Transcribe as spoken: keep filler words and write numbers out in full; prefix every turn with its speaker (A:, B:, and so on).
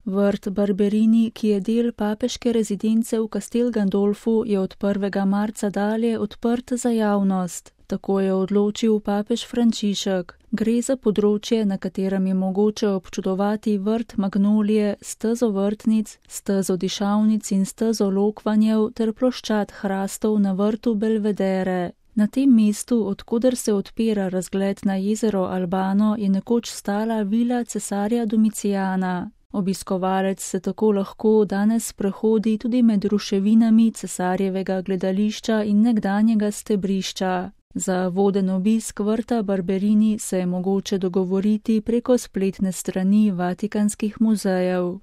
A: Vrt Barberini, ki je del papeške rezidence v Castel Gandolfu, je od prvega marca dalje odprt za javnost. Tako je odločil papež Frančišek. Gre za področje, na katerem je mogoče občudovati vrt magnolije, stezo vrtnic, stezo dišavnic in stezo lokvanjev ter ploščad hrastov na vrtu Belvedere. Na tem mestu, odkoder se odpira razgled na jezero Albano, je nekoč stala vila cesarja Domicijana. Obiskovalec se tako lahko danes sprehodi tudi med ruševinami cesarjevega gledališča in nekdanjega stebrišča. Za voden obisk vrta Barberini se je mogoče dogovoriti preko spletne strani Vatikanskih muzejev.